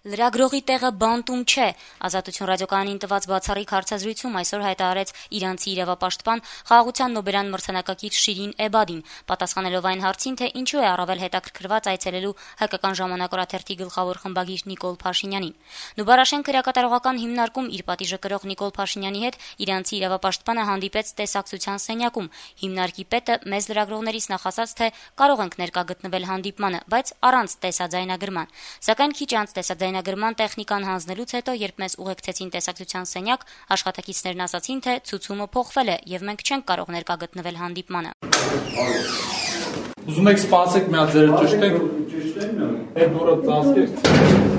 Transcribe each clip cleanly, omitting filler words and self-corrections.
Լրագրողի տեղը բանտում չէ, Ազատություն ռադիոկայանին տված բացառիկ հարցազրույցում այսօր հայտարարեց իրանցի իրավապաշտպան Խաղաղության Նոբելյան մրցանակակիր Շիրին Էբադին, պատասխանելով այն հարցին, թե ինչու է առավել հետաքրքրված այցելելու հայկական ժամանակ օրաթերթի գլխավոր խմբագիր Նիկոլ Փաշինյանին։ Նուբարաշեն քրեակատարողական հիմնարկում իր պատիժը կրող Նիկոլ Փաշինյանի հետ իրանցի իրավապաշտպանը հանդիպեց տեսակցության սենյակում։ Հիմնարկի պետը մեզ լրագրողներից նախասաց, թե կարող ենք ներկա գտնվել հանդիպմանը, բայց առանց տեսաձայնագրման։ Սակայն քիչ անց տեսաձայնագրման տեխնիկան հանձնելուց հետո, երբ մեզ ուղեկցեցին տեսակցության սենյակ, աշխատակիցներն ասացին, թե ցուցումը փոխվել է եւ մենք չենք կարող ներկա գտնվել հանդիպմանը։ Ուզում եք սպասեք, մի հատ ձերը ճշտենք։ Այդ դուրը ծածկեք։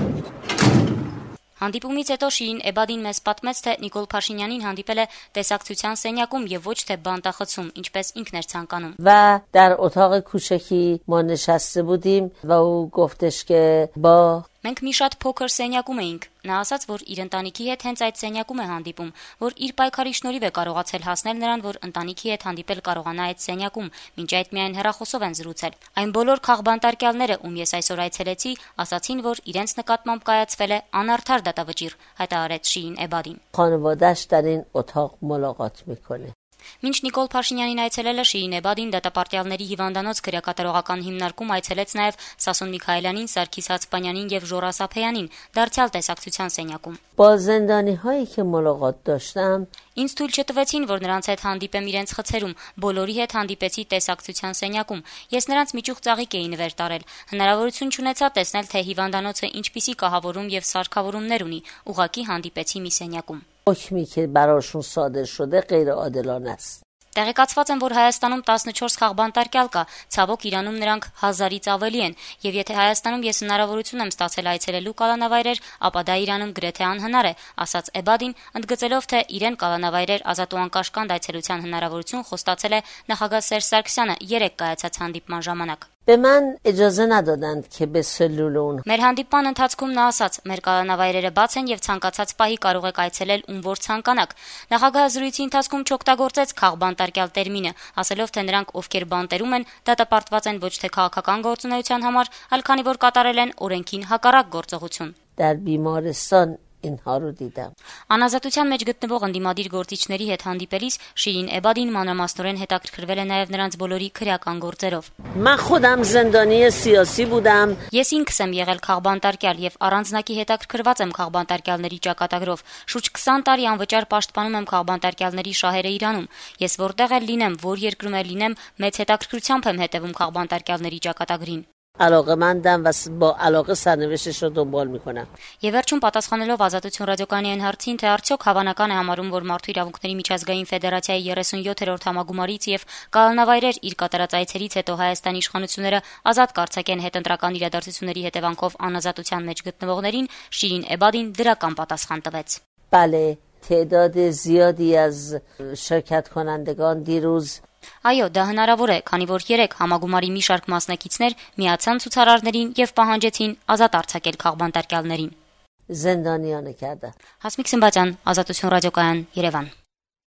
Հանդիպումից հետո Շիրին Էբադին մեզ պատմեց, թե Նիկոլ Փաշինյանին հանդիպել է տեսակցության սենյակում եւ ոչ թե բանտախցում, ինչպես ինքն էր ցանկանում։ و در اتاق کوچکی ما نشسته بودیم و او گفتش که با Մենք մի շատ փոքր սենյակում էինք։ Նա ասաց, որ իր ընտանիքի հետ հենց այդ սենյակում է հանդիպում, որ իր պայքարի շնորհիվ է կարողացել հասնել նրան, որ ընտանիքի հետ հանդիպել կարողանա այդ սենյակում, մինչ այդ միայն հեռախոսով են զրուցել։ Այն բոլոր քաղբանտարկյալները, ում ես այսօր այցելեցի, ասացին, որ իրենց նկատմամբ կայացվել է անարդար դատավճիռ, հայտարարեց Շիրին Էբադին։ خانواده‌اش در این اتاق ملاقات میکنه. Մինչ Նիկոլ Փաշինյանին այցելելը Շիրին Էբադին դատապարտյալների հիվանդանոց քրեակատարողական հիմնարկում այցելեց նաև Սասուն Միքայելյանին, Սարգիս Հացպանյանին եւ Ժորա Սափեյանին, դարձյալ տեսակցության սենյակում։ با زندانی‌هایی که ملاقات داشتم Ինձ թույլ չտվեցին, որ նրանց հետ հանդիպեմ իրենց խցերում, բոլորի հետ հանդիպեցի տեսակցության սենյակում։ Ես նրանց միջուղ ծաղիկ էի նվեր տարել։ Հնարավորություն չունեցա տեսնել, թե հիվանդանոցը ինչպիսի կահավորում եւ սարքավորումներ ունի։ Ուղղակի հանդիպեցի մի սենյակում։ حکمی که براشون صادر شده غیر عادلانه است. Տեղեկացված եմ, որ Հայաստանում 14 խաղբանտարկյալ կա, ցավոք Իրանում նրանք 1000-ից ավելի են, եւ եթե Հայաստանում ես հնարավորություն եմ ստացել այցելելու կալանավայրեր, ապա դա Իրանում գրեթե անհնար է, ասաց Էբադին, ընդգծելով, թե իրեն կալանավայրեր ազատ ու անկաշկանդ այցելության հնարավորություն խոստացել է նախագահ Սերժ Սարգսյանը 3 կայացած հանդիպման ժամանակ։ به من اجازه ندادند که به سلول اون Մեր հանդիպման ընթացքում նա ասաց. մեր կալանավայրերը բաց են եւ ցանկացած պահի կարող եք այցելել ում որ ցանկանաք։ Նախագահը զրույցի ընթացքում չօգտագործեց քաղբանտարկյալ տերմինը, ասելով, թե նրանք ովքեր բանտերում են, դատապարտված են ոչ թե քաղաքական գործունեության համար, այլ քանի որ կատարել են օրենքին հակառակ գործողություն։ در بیمارستان اینها رو دیدم. Անազատության մեջ գտնվող ընդդիմադիր գործիչների հետ հանդիպելիս Շիրին Էբադին մանրամասնորեն հետաքրքրվել է նաև նրանց բոլորի քրեական գործերով։ من خودم زندانی سیاسی بودم. Ես ինքս եմ եղել քաղբանտարկյալ եւ առանձնակի հետաքրքրված եմ քաղբանտարկյալների ճակատագրով։ Շուրջ 20 տարի անվճար պաշտպանում եմ քաղբանտարկյալների շահերը Իրանում։ Ես որտեղ էլ լինեմ, որ երկրում էլ լինեմ, մեծ հետաքրքրությամբ եմ հետևում քաղբանտարկյալների ճակատագրին։ علاقه‌مندم و با علاقه سرنوشتش رو دنبال میکنم. Եվ վերջում պատասխանելով Ազատություն ռադիոկայանի այն հարցին, թե արդյոք հավանական է համարում, որ Մարդու իրավունքների միջազգային ֆեդերացիայի 37-րդ համագումարից եւ կալանավայրեր իր կատարած այցերից հետո Հայաստանի իշխանությունները ազատ կարձակեն հետընտրական իրադարձությունների հետևանքով անազատության մեջ գտնվողներին, Շիրին Էբադին դրական պատասխան տվեց։ بله تعداد زیادی از شرکت کنندگان دیروز Այո, դա հնարավոր է, քանի որ 3 համագումարի մի շարք մասնակիցներ միացան ցուցարարներին եւ պահանջեցին ազատ արձակել քաղբանտարկյալներին։ زندانیانه کرده. Հասմիկ Սմբատյան, Ազատություն ռադիոկայան, Երևան։